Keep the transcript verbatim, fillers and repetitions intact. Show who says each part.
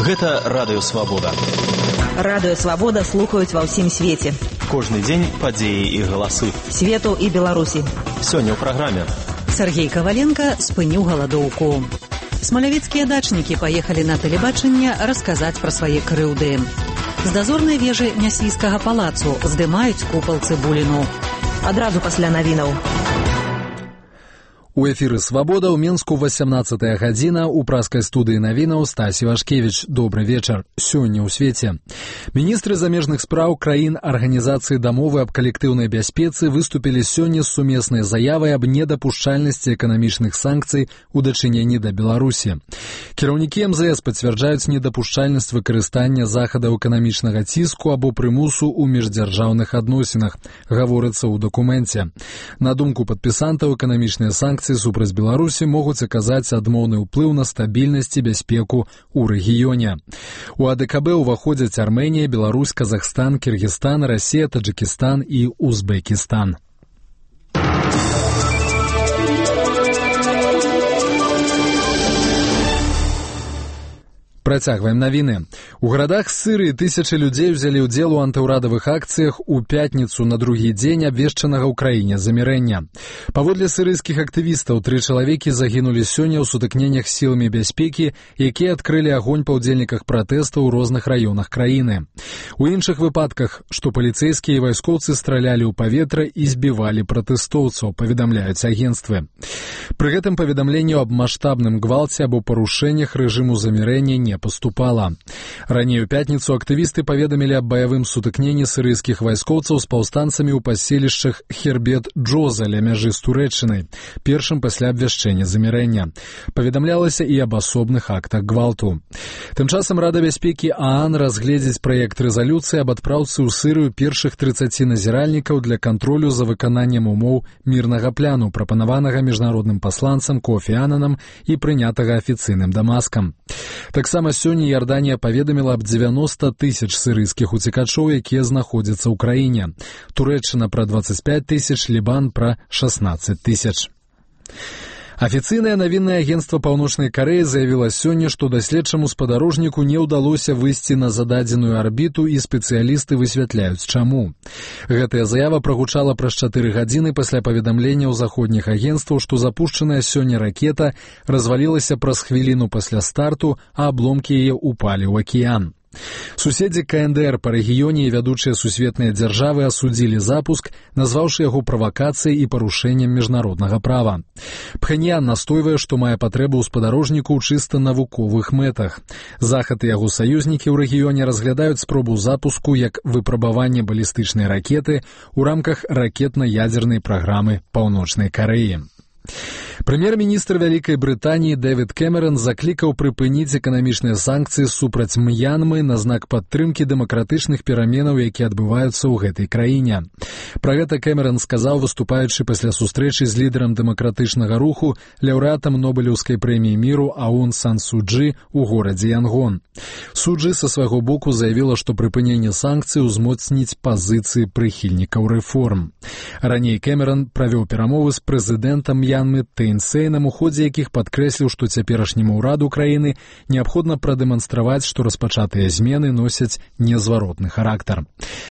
Speaker 1: Гэта Радыё Свабода.
Speaker 2: Радыё Свабода слухаюць ва ўсім свеце.
Speaker 1: Кожны дзень падзеі і галасы.
Speaker 2: Свету і Беларусі.
Speaker 1: Сёння ў праграме.
Speaker 3: Сергей Коваленко спыніў галадоўку. Смалявіцкія дачнікі паехалі на тэлебачанне расказаць пра свае крыўды. З дазорнай вежы Нясвійскага палацу здымаюць купал Цыбуліну.
Speaker 2: Адразу пасля навінаў.
Speaker 4: У эфіры «Свабода» ў Мінску васямнаццатая гадзіна, у праскай студыі навінаў Стасі Вашкевіч. Добры вечар. Сёння ў свеце. Міністры замежных спраў краін Арганізацыі дамовы аб калектыўнай бяспецы выступілі сёння з сумеснай заявай аб недапушчальнасці эканамічных санкцый у дачыненні да Беларусі. Кіраўнікі эм зэ эс пацвярджаюць недапушчальнасць выкарыстання захадаў эканамічнага ціску або прымусу ў міждзяржаўных адносінах, гаворыцца ў дакуменце. На думку падпісантаў, эканамічныя санкцыі супраць Беларусі могуць аказаць адмоўны ўплыў на стабільнасць і бяспеку ў рэгіёне. У а дэ ка бэ ўваходзяць Армэнія, Беларусь, Казахстан, Кіргізстан, Расія, Таджыкістан і Узбекістан. Працягваем навіны. У гарадах Сырыі тысячы людзей узялі ўдзел у антыўрадавых акцыях у пятніцу на другі дзень абвешчанага ў краіне замірэння. Паводле сырыйскіх актывістаў, тры чалавекі загінулі сёння ў сутыкненнях з сіламі бяспекі, якія адкрылі агонь па ўдзельніках пратэстаў у розных раёнах краіны. У іншых выпадках, што паліцэйскія і вайскоўцы стралялі ў паветра і збівалі пратэстоўцаў, паведамляюць агенцтвы. Пры гэтым паведамленню аб маштабным гвалце або парушэннях рэжыму замірэння не поступала. Раней у пятніцу актывісты паведамілі аб баявым сутыкненні сырыйскіх вайскоўцаў з паўстанцамі ў паселішчах Хербет-Джоза ля мяжы з Турэччынай, першым пасля абвяшчэння замірэння. Паведамлялася і аб асобных актах гвалту. Тым часам Рада бяспекі а ан разгледзіць праект рэзалюцыі аб адпраўцы ў Сырыю першых трыццаці назіральнікаў для кантролю за выкананнем умоў мірнага пляну, прапанаванага міжнародным пасланцам Кофі Ананам і прынятага афіцыйным Дамаскам. Таксама сёння Іорданія паведаміла аб дзевяноста тысяч сырыйскіх уцекачоў, якія знаходзяцца ў краіне. Турэччына пра дваццаць пяць тысяч, Лібан пра шаснаццаць тысяч. Афіцыйнае навіннае агенцтва Паўночнай Карэі заявіла сёння, што даследчаму спадарожніку не ўдалося выйсці на зададзеную арбіту, і спецыялісты высвятляюць, чаму. Гэтая заява прагучала праз чатыры гадзіны пасля паведамлення ў заходніх агенцтваў, што запушчаная сёння ракета развалілася праз хвіліну пасля старту, а абломкі яе ўпалі ў акіян. Суседзі ка эн дэ эр па рэгіёне і вядучыя сусветныя дзяржавы асудзілі запуск, назваўшы яго правакацыяй і парушэннем міжнароднага права. Пхэньян настойвае, што мае патрэбу ў спадарожніку ў чыста навуковых мэтах. Захад і яго саюзнікі ў рэгіёне разглядаюць спробу запуску як выпрабаванне балістычнай ракеты ў рамках ракетна-ядзернай праграмы Паўночнай Карэі. Прэм'ер-міністр Вялікай Брытаніі Дэвід Кэмерон заклікаў прыпыніць эканамічныя санкцыі супраць М'янмы на знак падтрымкі дэмакратычных пераменаў, якія адбываюцца ў гэтай краіне. Пра гэта Кэмерон сказаў, выступаючы пасля сустрэчы з лідарам дэмакратычнага руху, лаўрэатам Нобелеўскай прэміі міру Аун Сан Су Чжы ў горадзе Янгон. Су Чжы са свайго боку заявіла, што прыпыненне санкцый узмоцніць пазіцыі прыхільнікаў рэформ. Раней Кэмерон правёў перамовы з прэзідэнтам М'янмы Тэйн Сейнам, у ходзе якіх падкрэсліў, што цяперашняму ўраду краіны неабходна прадэманстраваць, што распачатыя змены носяць незваротны характар.